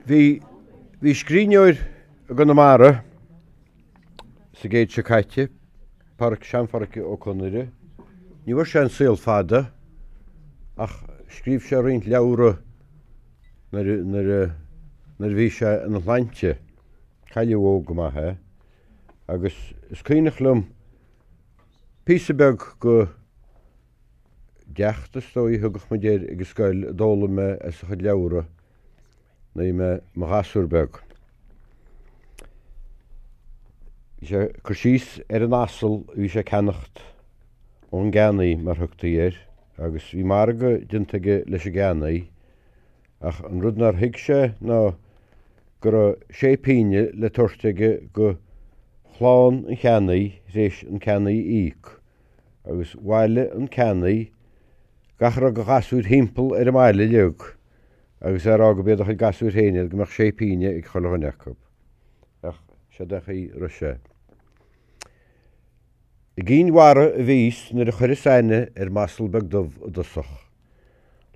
Bhí, bhí scríbhneoir i gConamara sa gcéad seo caite, Pádhraic, Sean-Phádhraic Ó Conaire. Ní bhfuair sé an saol fada ach scríobh sé roinnt leabhra nuair, nuair, nuair a bhí sé ina shláinte. Cailleadh óg go maith é agus is cuimhneach liom píosa beag go deacht is dóigh a thugadh muid air ag an scoil a d'fhoghlaim mé as a chuid leabhra nuair a bhí mé i mo ghasúr beag. Bhí sé ag cur síos ar an asal a bhí sé ag ceannacht ón gceannaí mar thugtaí air agus bhí margadh déanta aige leis an gceannaí ach an rud nár thuig sé ná go raibh sé pínne le tabhairt aige go chlann an cheannaí th'réis an ceannaí a íoc agus bhailigh an ceannaí gach a raibh de ghasúir thimpeall ar an mbaile uilig agus é a rá go b'iad a chuid gasúir féin iad go mbeadh sé pínne ag chuile dhuine acu. Ach seod é an chaoi a raibh sé. I gCinn Mhara a bhíos nuair a chuireas aithne ar m'asal beag dubh i dtosach.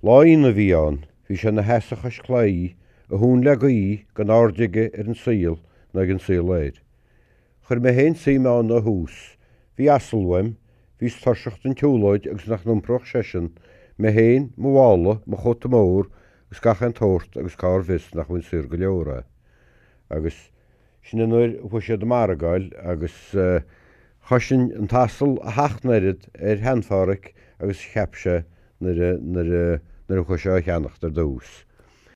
Lá aonaigh a bhí ann, bhí sé ina sheasamh chois claí, a thóin le gaoith, gan aird aige ar an saol ná ag an saol air. Chuir mé féin suim ann ó thús. Bhí asal uaim, bhíos tuirseach den tsiúlóid agus nach n-iompródh seisean, mé féin, mo mhála, mo chóta mór agus gach aon tsórt agus cár bhfios nach bhfuair saor go leor é. Agus sin an uair a chuaigh siad ag margáil agus chosain an t-asal a sheacht n-oiread ar Shean-Phádhraic agus a cheap sé nuair a, nuair a, nuair a chuaigh sé á cheannacht ar dtús.